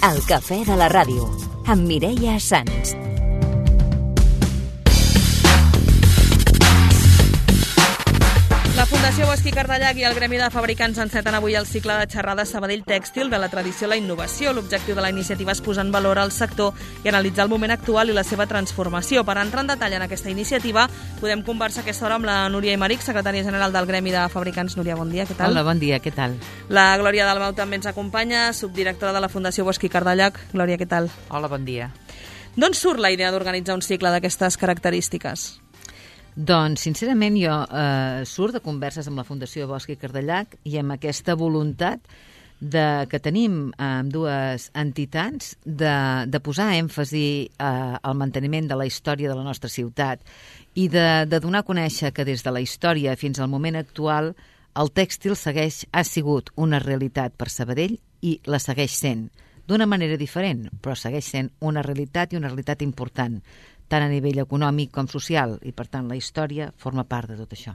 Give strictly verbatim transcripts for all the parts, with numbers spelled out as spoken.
El cafè de la ràdio, amb Mireia Sans. La Fundació Bosch i Cardellac i el Gremi de Fabricants enceten avui el cicle de xerrades Sabadell Tèxtil de la tradició a la innovació. L'objectiu de la iniciativa és posar en valor el sector i analitzar el moment actual i la seva transformació. Per entrar en detall en aquesta iniciativa, podem conversar a aquesta hora amb la Núria Aymeric, secretària general del Gremi de Fabricants. Núria, bon dia, què tal? Hola, bon dia, què tal? La Glòria Dalmau també ens acompanya, subdirectora de la Fundació Bosch i Cardellac. Glòria, què tal? Hola, bon dia. D'on surt la idea d'organitzar un cicle d'aquestes característiques? Doncs, sincerament, jo eh, surt de converses amb la Fundació Bosch i Cardellac i amb aquesta voluntat de, que tenim amb dues entitats de, de posar èmfasi eh, al manteniment de la història de la nostra ciutat i de, de donar a conèixer que des de la història fins al moment actual el tèxtil segueix, ha sigut una realitat per Sabadell i la segueix sent, d'una manera diferent, però segueix sent una realitat i una realitat important, tant a nivell econòmic com social, i per tant la història forma part de tot això.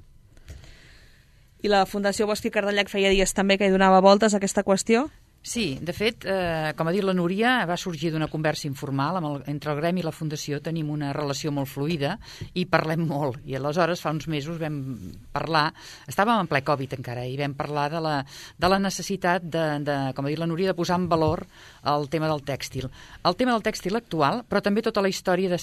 I la Fundació Bosch i Cardellac feia dies també que hi donava voltes a aquesta qüestió? Sí, de fet, eh, com ha dit la Núria, va sorgir d'una conversa informal amb el, entre el Gremi i la Fundació. Tenim una relació molt fluida i parlem molt. I aleshores, fa uns mesos, vam parlar, estàvem en ple Covid encara, i vam parlar de la, de la necessitat, de, de, com ha dit la Núria, de posar en valor el tema del tèxtil. El tema del tèxtil actual, però també tota la història de,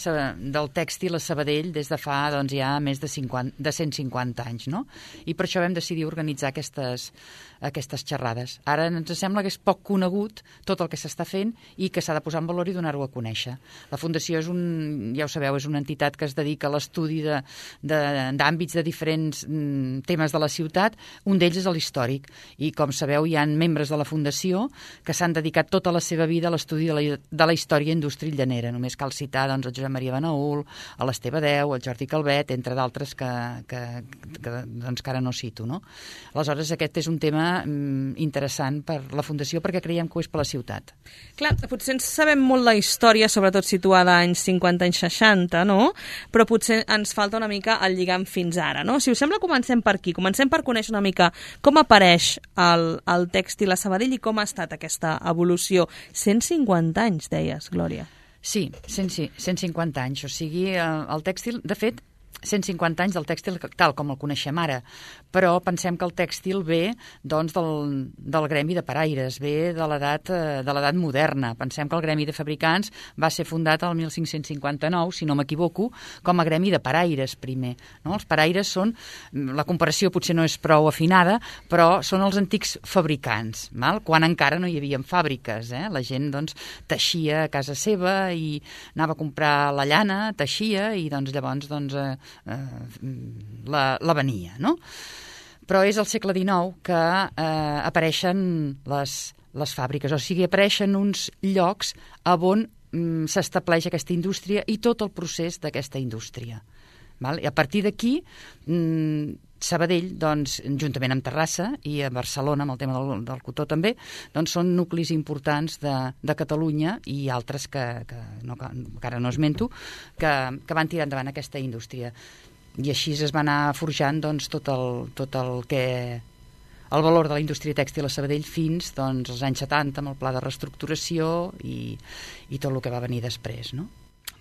del tèxtil a Sabadell des de fa doncs, ja més de, cinquanta, de cent cinquanta anys, no? I per això vam decidir organitzar aquestes, aquestes xerrades. Ara ens sembla que és poc conegut tot el que s'està fent i que s'ha de posar en valor i donar-ho a conèixer. La Fundació és un, ja ho sabeu, és una entitat que es dedica a l'estudi de, de, d'àmbits de diferents mm, temes de la ciutat. Un d'ells és l'històric i, com sabeu, hi ha membres de la Fundació que s'han dedicat tota la seva vida a l'estudi de la, de la història indústria llanera. Només cal citar doncs, el Josep Maria Benaül, a l'Esteve Deu, el Jordi Calvet, entre d'altres que, que, que, doncs, que ara no cito. No? Aleshores, aquest és un tema mm, interessant per la Fundació perquè creiem que ho és per la ciutat. Clar, potser ens sabem molt la història, sobretot situada anys cinquanta, anys seixanta, no? Però potser ens falta una mica el lligam fins ara, no? Si us sembla, comencem per aquí. Comencem per conèixer una mica com apareix el, el tèxtil a Sabadell i com ha estat aquesta evolució. cent cinquanta anys, deies, Glòria. Sí, cent cinquanta anys. O sigui, el, el tèxtil, de fet, cent cinquanta anys del tèxtil tal com el coneixem ara, però pensem que el tèxtil ve doncs, del, del gremi de paraires, ve de l'edat de l'edat moderna. Pensem que el Gremi de Fabricants va ser fundat el mil cinc-cents cinquanta-nou, si no m'equivoco, com a gremi de paraires primer. No? Els paraires són, la comparació potser no és prou afinada, però són els antics fabricants, val? Quan encara no hi havia fàbriques. Eh? La gent doncs, teixia a casa seva i anava a comprar la llana, teixia i doncs, llavors doncs, eh, la, la venia, no? Però és al segle dinou que eh, apareixen les, les fàbriques, o sigui, apareixen uns llocs on mm, s'estableix aquesta indústria i tot el procés d'aquesta indústria. Val? I a partir d'aquí, mm, Sabadell, doncs, juntament amb Terrassa i a Barcelona, amb el tema del, del cotó també, doncs són nuclis importants de, de Catalunya i altres que, que, no, que ara no esmento, que, que van tirar endavant aquesta indústria. I així es va anar forjant doncs, tot, el, tot el que... el valor de la indústria tèxtil a Sabadell fins doncs, als anys setanta, amb el pla de reestructuració i, i tot el que va venir després, no?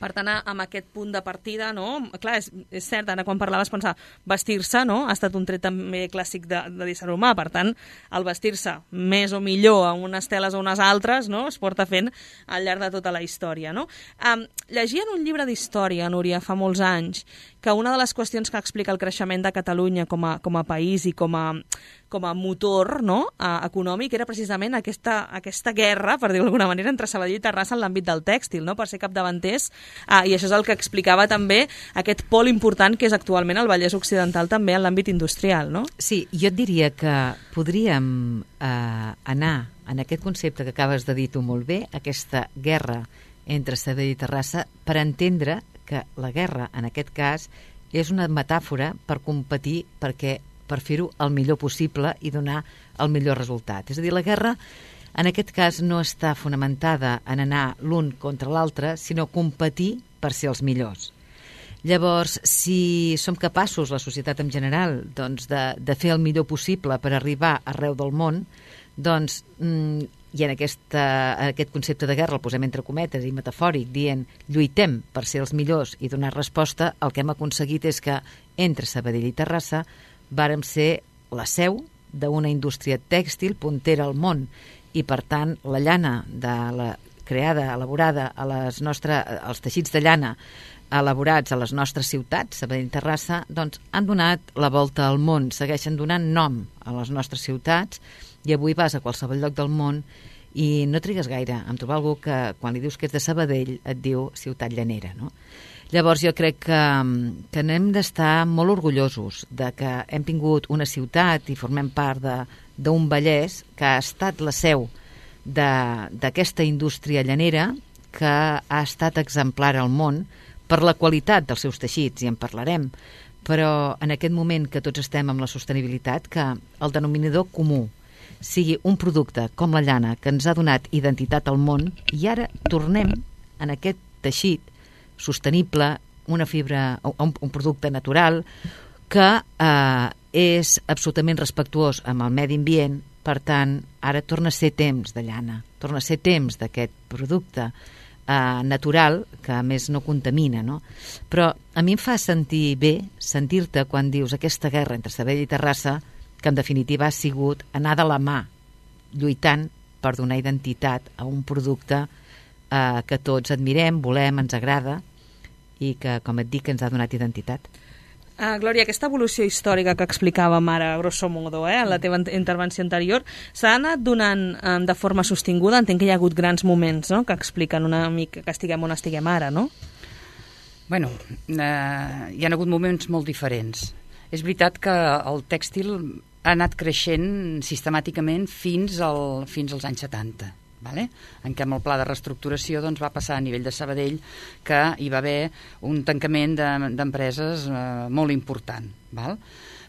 Per tant, amb aquest punt de partida, no? Clar, és, és cert, ara quan parlaves pensar vestir-se, no? Ha estat un tret també clàssic de, de l'ésser humà, per tant, el vestir-se més o millor a unes teles o unes altres, no? Es porta fent al llarg de tota la història, no? Um, llegia en un llibre d'història, Núria, fa molts anys, que una de les qüestions que explica el creixement de Catalunya com a, com a país i com a, com a motor, no? uh, econòmic era precisament aquesta, aquesta guerra, per dir-ho d'alguna manera, entre Sabadell i Terrassa en l'àmbit del tèxtil, no? Per ser capdavanters. Ah, i això és el que explicava també aquest pol important que és actualment el Vallès Occidental també en l'àmbit industrial, no? Sí, jo et diria que podríem eh, anar en aquest concepte que acabes de dir tu molt bé, aquesta guerra entre Sabadell i Terrassa, per entendre que la guerra, en aquest cas, és una metàfora per competir perquè, per fer-ho el millor possible i donar el millor resultat. És a dir, la guerra en aquest cas no està fonamentada en anar l'un contra l'altre, sinó competir per ser els millors. Llavors, si som capaços, la societat en general, doncs de, de fer el millor possible per arribar arreu del món, doncs mm, i en, aquesta, en aquest concepte de guerra el posem entre cometes i metafòric, dient lluitem per ser els millors i donar resposta, el que hem aconseguit és que entre Sabadell i Terrassa vàrem ser la seu d'una indústria tèxtil puntera al món, i per tant la llana de la, creada, elaborada a les nostres, els teixits de llana elaborats a les nostres ciutats, Sabadell i Terrassa, doncs han donat la volta al món, segueixen donant nom a les nostres ciutats, i avui vas a qualsevol lloc del món i no trigues gaire en trobar algú que quan li dius que és de Sabadell et diu ciutat llanera, no? Llavors jo crec que, que n'hem d'estar molt orgullosos de que hem tingut una ciutat i formem part d'un Vallès que ha estat la seu d'aquesta indústria llanera, que ha estat exemplar al món per la qualitat dels seus teixits, i en parlarem, però en aquest moment que tots estem amb la sostenibilitat, que el denominador comú sigui un producte com la llana que ens ha donat identitat al món, i ara tornem en aquest teixit sostenible, una fibra, un, un producte natural que eh, és absolutament respectuós amb el medi ambient. Per tant, ara torna a ser temps de llana, torna a ser temps d'aquest producte eh, natural que a més no contamina, no? Però a mi em fa sentir bé sentir-te quan dius aquesta guerra entre Sabadell i Terrassa, que en definitiva ha sigut anar de la mà lluitant per donar identitat a un producte eh, que tots admirem, volem, ens agrada, i que, com et dic, ens ha donat identitat. Uh, Glòria, aquesta evolució històrica que explicàvem ara, grosso modo, eh, en la teva intervenció anterior, s'ha anat donant um, de forma sostinguda? Entenc que hi ha hagut grans moments, no?, que expliquen una mica que estiguem on estiguem ara, no? Bueno, eh, hi ha hagut moments molt diferents. És veritat que el tèxtil ha anat creixent sistemàticament fins, al, fins als anys setanta. Vale? En què amb el pla de reestructuració doncs, va passar a nivell de Sabadell que hi va haver un tancament d'empreses de, eh, molt important. Val?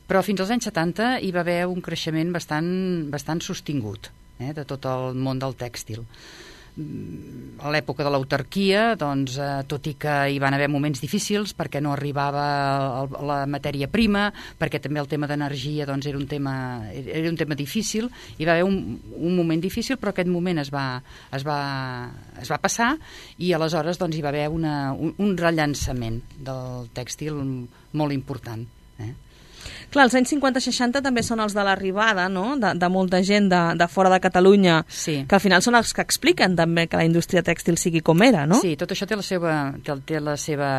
Però fins als anys setanta hi va haver un creixement bastant, bastant sostingut eh, de tot el món del tèxtil. A l'època de l'autarquia, doncs, eh, tot i que hi van haver moments difícils perquè no arribava el, la matèria prima, perquè també el tema d'energia doncs, era, un tema, era un tema difícil, hi va haver un, un moment difícil, però aquest moment es va, es va, es va passar, i aleshores doncs, hi va haver una, un, un rellançament del tèxtil molt important. Eh? Clar, els anys cinquanta seixanta també són els de l'arribada, no?, de, de molta gent de, de fora de Catalunya, sí, que al final són els que expliquen també que la indústria tèxtil sigui com era, no? Sí, tot això té la seva, té, té la seva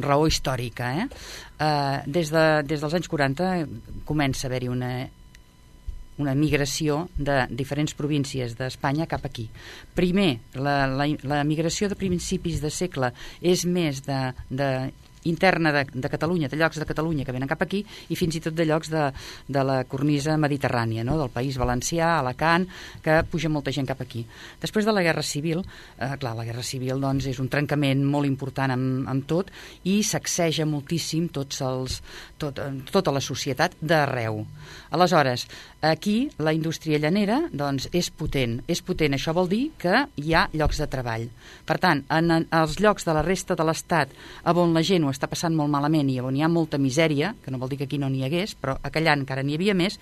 raó històrica. Eh? Uh, des, de, des dels anys quaranta comença a haver-hi una, una migració de diferents províncies d'Espanya cap aquí. Primer, la, la, la migració de principis de segle és més de... de interna de, de Catalunya, de llocs de Catalunya que venen cap aquí, i fins i tot de llocs de, de la cornisa mediterrània, no? Del País Valencià, Alacant, que puja molta gent cap aquí. Després de la Guerra Civil, eh, clar, la Guerra Civil doncs, és un trencament molt important amb, amb tot, i sacseja moltíssim tots els, tot, tota la societat d'arreu. Aleshores, aquí la indústria llanera doncs, és potent. És potent, això vol dir que hi ha llocs de treball. Per tant, en, en els llocs de la resta de l'Estat on la gent ho està passant molt malament i on hi ha molta misèria, que no vol dir que aquí no n'hi hagués, però a Callant encara n'hi havia més,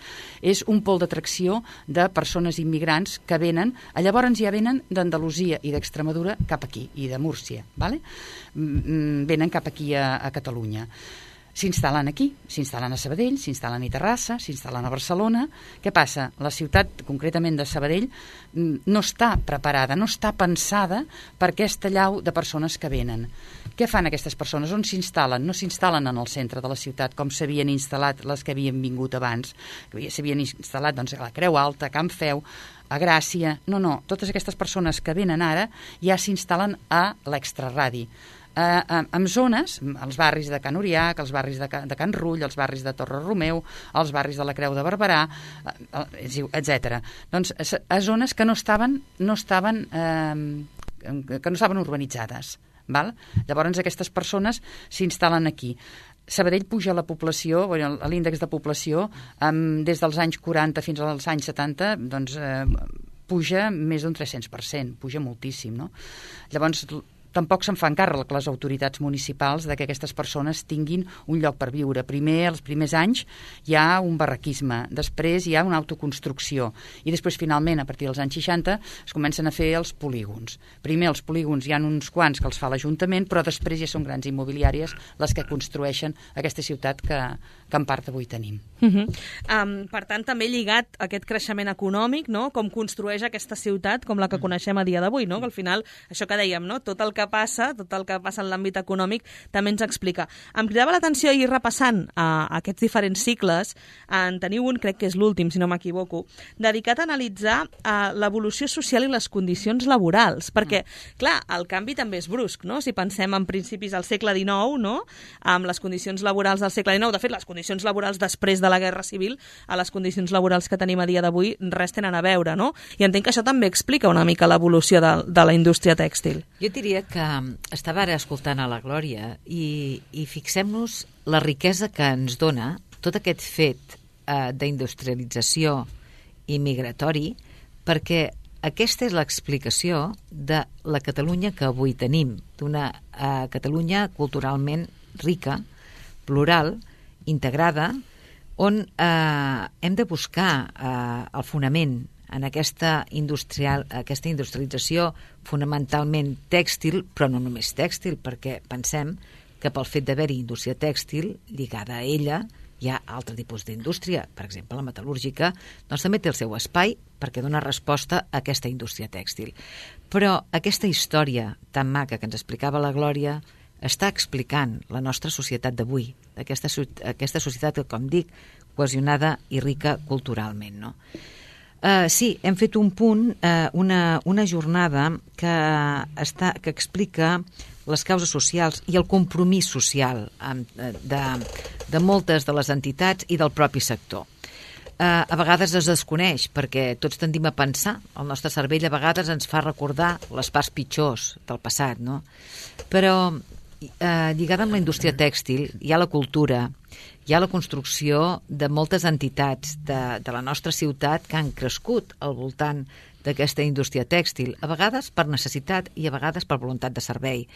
és un pol d'atracció de persones immigrants que venen, llavors ja venen d'Andalusia i d'Extremadura cap aquí, i de Múrcia, vale? Venen cap aquí a, a Catalunya. S'instal·len aquí, s'instal·len a Sabadell, s'instal·len a Terrassa, s'instal·len a Barcelona. Què passa? La ciutat, concretament de Sabadell, no està preparada, no està pensada per aquesta llau de persones que venen. Què fan aquestes persones? On s'instal·len? No s'instal·len en el centre de la ciutat, com s'havien instal·lat les que havien vingut abans. S'havien instal·lat doncs, a la Creu Alta, a Can Feu, a Gràcia... No, no, totes aquestes persones que venen ara ja s'instal·len a l'extraradi. Uh, en zones, els barris de Can Uriac, els barris de, Ca, de Can Rull, els barris de Torre Romeu, els barris de la Creu de Barberà, uh, etcètera. Doncs a, a zones que no estaven, no estaven, uh, que no estaven urbanitzades. Val? Llavors aquestes persones s'instal·len aquí. Sabadell puja la població, bueno, l'índex de població, um, des dels anys quaranta fins als anys setanta, doncs... Uh, puja més d'un tres-cents per cent, puja moltíssim, no? Llavors, tampoc se'n fan càrrec les autoritats municipals de que aquestes persones tinguin un lloc per viure. Primer, els primers anys, hi ha un barraquisme, després hi ha una autoconstrucció, i després, finalment, a partir dels anys seixanta, es comencen a fer els polígons. Primer, els polígons hi ha uns quants que els fa l'Ajuntament, però després ja són grans immobiliàries les que construeixen aquesta ciutat que, que en part avui tenim. Uh -huh. um, per tant, també lligat a aquest creixement econòmic, no? Com construeix aquesta ciutat com la que coneixem a dia d'avui, no? Que al final, això que dèiem, no? Tot el que passa, tot el que passa en l'àmbit econòmic també ens explica. Em cridava l'atenció i repassant a, a aquests diferents cicles, en teniu un, crec que és l'últim, si no m'equivoco, dedicat a analitzar uh, l'evolució social i les condicions laborals, perquè, clar, el canvi també és brusc, no? Si pensem en principis del segle dinou, no? Amb les condicions laborals del segle dinou, de fet, les condicions laborals després de la Guerra Civil a les condicions laborals que tenim a dia d'avui res tenen a veure, no? I entenc que això també explica una mica l'evolució de, de la indústria tèxtil. Jo diria que estava ara escoltant a la Glòria i, i fixem-nos la riquesa que ens dona tot aquest fet eh, d'industrialització i migratori, perquè aquesta és l'explicació de la Catalunya que avui tenim, d'una eh, Catalunya culturalment rica, plural, integrada, on eh, hem de buscar eh, el fonament en aquesta, industrial, aquesta industrialització fonamentalment tèxtil, però no només tèxtil, perquè pensem que pel fet d'haver-hi indústria tèxtil, lligada a ella, hi ha altre tipus d'indústria, per exemple la metal·lúrgica, doncs també té el seu espai perquè dona resposta a aquesta indústria tèxtil. Però aquesta història tan maca que ens explicava la Glòria està explicant la nostra societat d'avui, aquesta, aquesta societat que, com dic, cohesionada i rica culturalment, no? Uh, sí, hem fet un punt, uh, una, una jornada que, està, que explica les causes socials i el compromís social amb, de, de moltes de les entitats i del propi sector. Uh, a vegades es desconeix perquè tots tendim a pensar, el nostre cervell a vegades ens fa recordar les parts pitjors del passat, no? Però eh, lligada amb la indústria tèxtil hi ha la cultura, hi ha la construcció de moltes entitats de, de la nostra ciutat que han crescut al voltant d'aquesta indústria tèxtil, a vegades per necessitat i a vegades per voluntat de servei.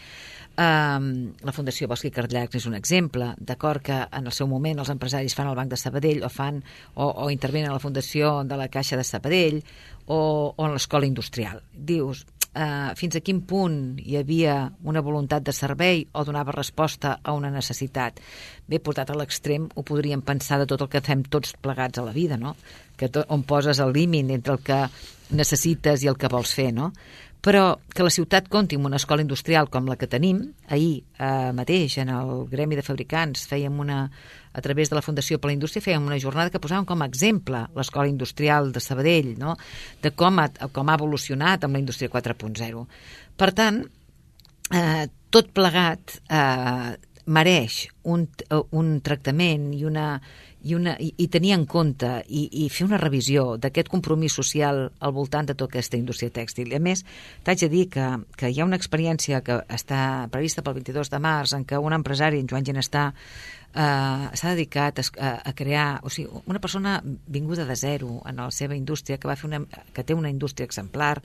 Um, la Fundació Bosch i Cardillac és un exemple, d'acord que en el seu moment els empresaris fan el Banc de Sabadell o fan o, o intervenen a la Fundació de la Caixa de Sabadell o, o en l'Escola Industrial. Dius, Uh, fins a quin punt hi havia una voluntat de servei o donava resposta a una necessitat. Bé, portat a l'extrem, ho podríem pensar de tot el que fem tots plegats a la vida, no? Que tot, on poses el límit entre el que necessites i el que vols fer, no? Però que la ciutat compti amb una escola industrial com la que tenim, ahir eh, mateix en el Gremi de Fabricants fèiem una, a través de la Fundació per la Indústria, fèiem una jornada que posàvem com a exemple l'escola industrial de Sabadell, no? De com ha, com ha evolucionat amb la indústria quatre punt zero. Per tant, eh, tot plegat eh, mereix un, un tractament i una... I, una, i, i tenir en compte i, i fer una revisió d'aquest compromís social al voltant de tota aquesta indústria tèxtil. I a més, t'haig de dir que, que hi ha una experiència que està prevista pel vint-i-dos de març en què un empresari, en Joan Ginestà, Uh, s'ha dedicat a, a, a crear, o sigui, una persona vinguda de zero en la seva indústria, que va fer una, que té una indústria exemplar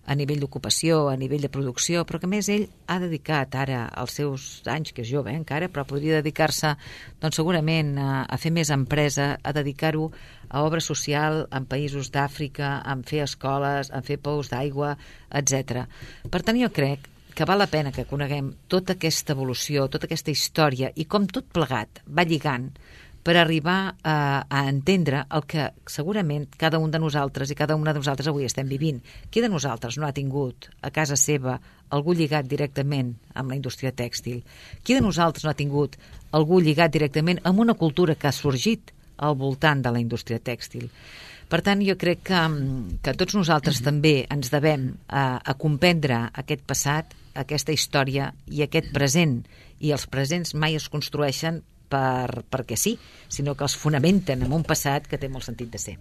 a nivell d'ocupació, a nivell de producció, però que a més ell ha dedicat ara als seus anys, que és jove eh, encara, però podria dedicar-se doncs segurament a, a fer més empresa, a dedicar-ho a obra social en països d'Àfrica, a fer escoles, a fer pous d'aigua, etcètera. Per tant, jo crec que val la pena que coneguem tota aquesta evolució, tota aquesta història i com tot plegat va lligant per arribar a, a entendre el que segurament cada un de nosaltres i cada una de nosaltres avui estem vivint. Qui de nosaltres no ha tingut a casa seva algú lligat directament amb la indústria tèxtil? Qui de nosaltres no ha tingut algú lligat directament amb una cultura que ha sorgit al voltant de la indústria tèxtil? Per tant, jo crec que, que tots nosaltres també ens devem a, a comprendre aquest passat, aquesta història i aquest present. I els presents mai es construeixen per, perquè sí, sinó que els fonamenten en un passat que té molt sentit de ser.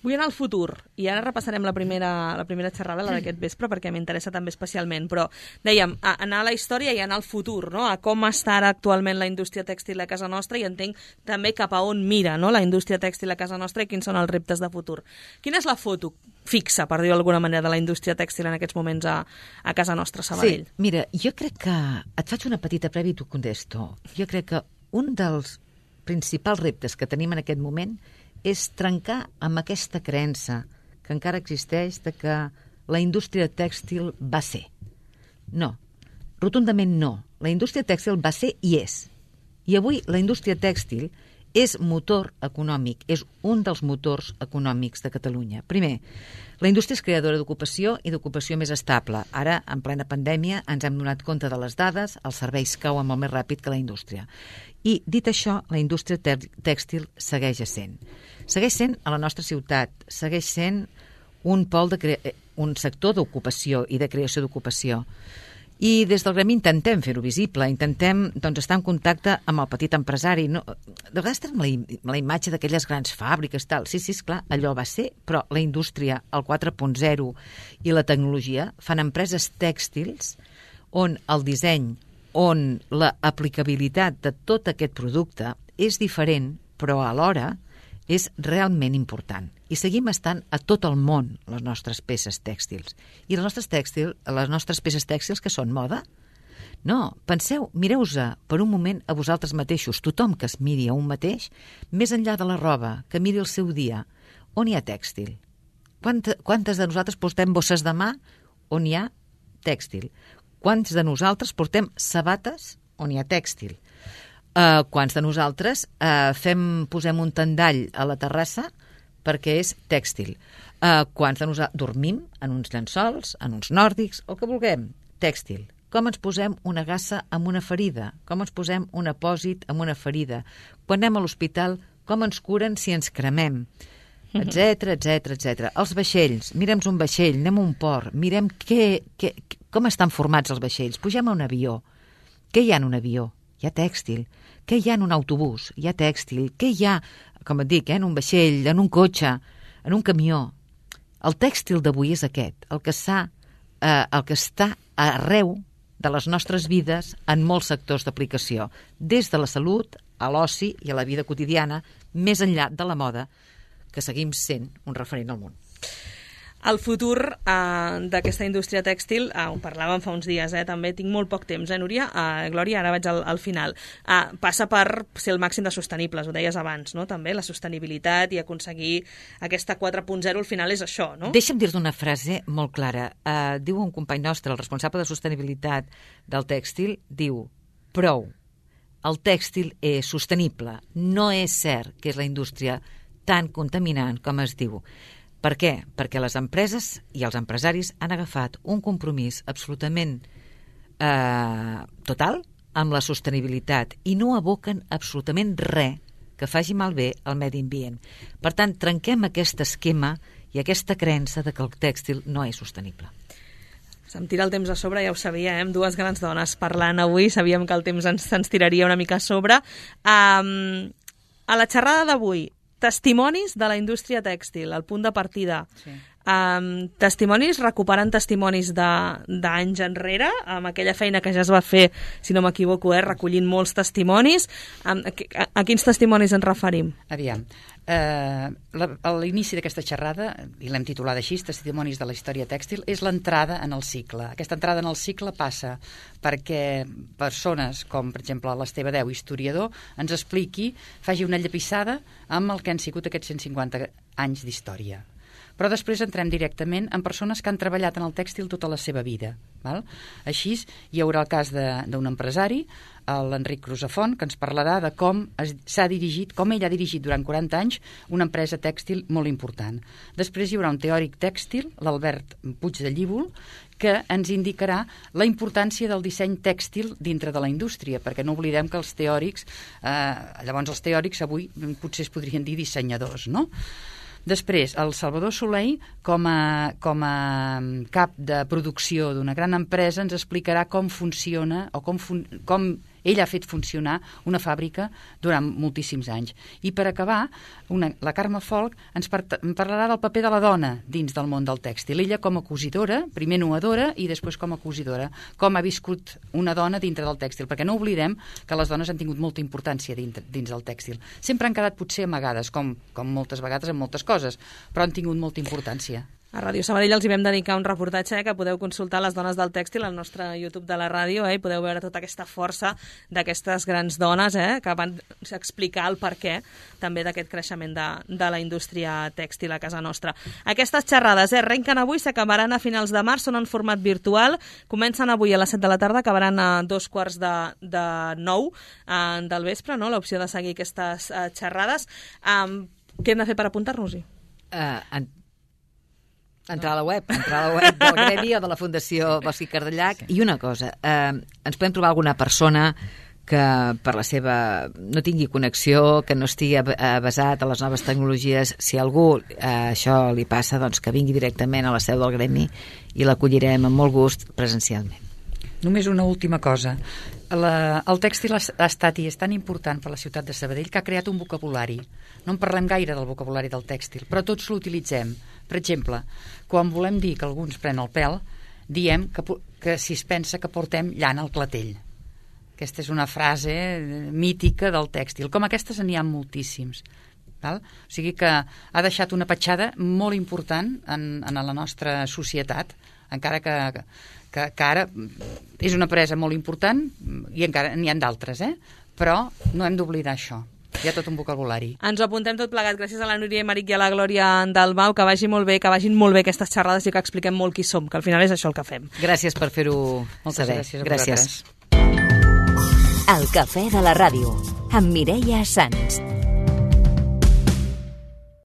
Vull anar al futur, i ara repassarem la primera, la primera xerrada, la d'aquest vespre, perquè m'interessa també especialment, però dèiem, a, anar a la història i anar al futur, no? A com està ara actualment la indústria tèxtil a casa nostra, i entenc també cap a on mira, no? La indústria tèxtil a casa nostra i quins són els reptes de futur. Quina és la foto fixa, per dir-ho d'alguna manera, de la indústria tèxtil en aquests moments a, a casa nostra, Sabadell? Sí, mira, jo crec que... Et faig una petita prèvia i t'ho contesto. Jo crec que un dels principals reptes que tenim en aquest moment és trencar amb aquesta creença que encara existeix de que la indústria tèxtil va ser. No, rotundament no. La indústria tèxtil va ser i és. I avui la indústria tèxtil és motor econòmic, és un dels motors econòmics de Catalunya. Primer, la indústria és creadora d'ocupació i d'ocupació més estable. Ara, en plena pandèmia, ens hem donat compte de les dades, els serveis cauen molt més ràpid que la indústria. I, dit això, la indústria tèxtil segueix essent. Segueix sent a la nostra ciutat, segueix sent un pol de cre... un sector d'ocupació i de creació d'ocupació. I des del gremi intentem fer-ho visible, intentem doncs, estar en contacte amb el petit empresari. No, de vegades tenim la, la imatge d'aquelles grans fàbriques, tal. Sí, sí, esclar, allò va ser, però la indústria, el quatre punt zero i la tecnologia fan empreses tèxtils on el disseny, on l'aplicabilitat de tot aquest producte és diferent, però alhora és realment important. I seguim estant a tot el món les nostres peces tèxtils. I les nostres, tèxtil, les nostres peces tèxtils que són moda? No, penseu, mireu-se per un moment a vosaltres mateixos, tothom que es miri a un mateix, més enllà de la roba, que miri el seu dia, on hi ha tèxtil? Quanta, quantes de nosaltres portem bosses de mà on hi ha tèxtil? Quants de nosaltres portem sabates on hi ha tèxtil? Uh, quants de nosaltres uh, fem, posem un tendall a la terrassa perquè és tèxtil? Uh, quants de nosaltres dormim en uns llençols, en uns nòrdics, el que vulguem? Tèxtil. Com ens posem una gassa amb una ferida? Com ens posem un apòsit amb una ferida? Quan anem a l'hospital, com ens curen si ens cremem? Etcètera, etcètera, etcètera. Els vaixells, mirem un vaixell, anem a un port, mirem què, què, com estan formats els vaixells. Pugem a un avió. Què hi ha en un avió? Hi ha tèxtil. Què hi ha en un autobús? Hi ha tèxtil. Què hi ha, com et dic, eh, en un vaixell, en un cotxe, en un camió? El tèxtil d'avui és aquest, el que, s'ha, eh, el que està arreu de les nostres vides en molts sectors d'aplicació, des de la salut a l'oci i a la vida quotidiana, més enllà de la moda, que seguim sent un referent al món. El futur eh, d'aquesta indústria tèxtil, eh, ho parlàvem fa uns dies, eh, també tinc molt poc temps, eh, Núria? Eh, Glòria, ara vaig al, al final. Eh, passa per ser el màxim de sostenibles, ho deies abans, no? També la sostenibilitat i aconseguir aquesta quatre punt zero al final és això, no? Deixa'm dir-te una frase molt clara. Eh, diu un company nostre, el responsable de sostenibilitat del tèxtil, diu, prou, el tèxtil és sostenible. No és cert que és la indústria tan contaminant com es diu. Per què? Perquè les empreses i els empresaris han agafat un compromís absolutament eh, total amb la sostenibilitat i no aboquen absolutament res que faci malbé al medi ambient. Per tant, trenquem aquest esquema i aquesta creença de que el tèxtil no és sostenible. Se'm tira el temps a sobre, ja ho sabia, eh? Amb dues grans dones parlant avui, sabíem que el temps ens, ens tiraria una mica a sobre. Um, a la xerrada d'avui, testimonis de la indústria tèxtil, el punt de partida. Sí. Um, testimonis, recuperant testimonis d'anys enrere, amb aquella feina que ja es va fer, si no m'equivoco, eh, recollint molts testimonis. Um, a, a, a quins testimonis ens referim? Aviam, eh, la, a l'inici d'aquesta xerrada, i l'hem titulat així, Testimonis de la història tèxtil, és l'entrada en el cicle. Aquesta entrada en el cicle passa perquè persones com, per exemple, l'Esteve Deu, historiador, ens expliqui, faci una llepissada amb el que han sigut aquests cent cinquanta anys d'història. Però després entrem directament en persones que han treballat en el tèxtil tota la seva vida. Val? Així, hi haurà el cas d'un empresari, l'Enric Crusafont, que ens parlarà de com s'ha dirigit, com ell ha dirigit durant quaranta anys una empresa tèxtil molt important. Després hi haurà un teòric tèxtil, l'Albert Puig de Llívol, que ens indicarà la importància del disseny tèxtil dintre de la indústria, perquè no oblidem que els teòrics, eh, llavors els teòrics avui potser es podrien dir dissenyadors, no? Després, el Salvador Soleil, com a, com a cap de producció d'una gran empresa, ens explicarà com funciona o com, fun com Ell ha fet funcionar una fàbrica durant moltíssims anys. I per acabar, una, la Carme Folch ens par parlarà del paper de la dona dins del món del tèxtil. Ella com a cosidora, primer nuadora i després com a cosidora, com ha viscut una dona dintre del tèxtil, perquè no oblidem que les dones han tingut molta importància dins, dins del tèxtil. Sempre han quedat potser amagades, com, com moltes vegades en moltes coses, però han tingut molta importància. A Ràdio Sabadell els hi vam dedicar un reportatge eh, que podeu consultar les dones del tèxtil al nostre YouTube de la ràdio eh, i podeu veure tota aquesta força d'aquestes grans dones eh, que van explicar el perquè també d'aquest creixement de, de la indústria tèxtil a casa nostra. Aquestes xerrades eh, arrenquen avui, s'acabaran a finals de març, són en format virtual, comencen avui a les set de la tarda, acabaran a dos quarts de, de nou eh, del vespre, no? L'opció de seguir aquestes eh, xerrades. Um, què hem de fer per apuntar-nos-hi? Uh, en... Entrar a la web, entrar a la web del Gremi o de la Fundació Bosch i Cardellac. Sí. I una cosa, eh, ens podem trobar alguna persona que per la seva no tingui connexió, que no estigui avesat a les noves tecnologies. Si a algú eh, això li passa, doncs que vingui directament a la seu del Gremi i l'acollirem amb molt gust presencialment. Només una última cosa. La, el tèxtil ha, ha estat i és tan important per la ciutat de Sabadell que ha creat un vocabulari. No en parlem gaire del vocabulari del tèxtil, però tots l'utilitzem. Per exemple, quan volem dir que algú ens pren el pèl, diem que, que si es pensa que portem llana al clatell. Aquesta és una frase mítica del tèxtil. Com aquestes n'hi ha moltíssims. Val? O sigui que ha deixat una petjada molt important en, en la nostra societat, encara que, que, que ara és una empresa molt important i encara n'hi ha d'altres, eh? Però no hem d'oblidar això. Hi ha tot un vocabulari. Ens ho apuntem tot plegat. Gràcies a la Núria Emeric i a la Glòria Dalmau. Que vagi molt bé, que vagin molt bé aquestes xerrades i que expliquem molt qui som, que al final és això el que fem. Gràcies per fer-ho saber. Gràcies a gràcies. El Cafè de la Ràdio, amb Mireia Sans.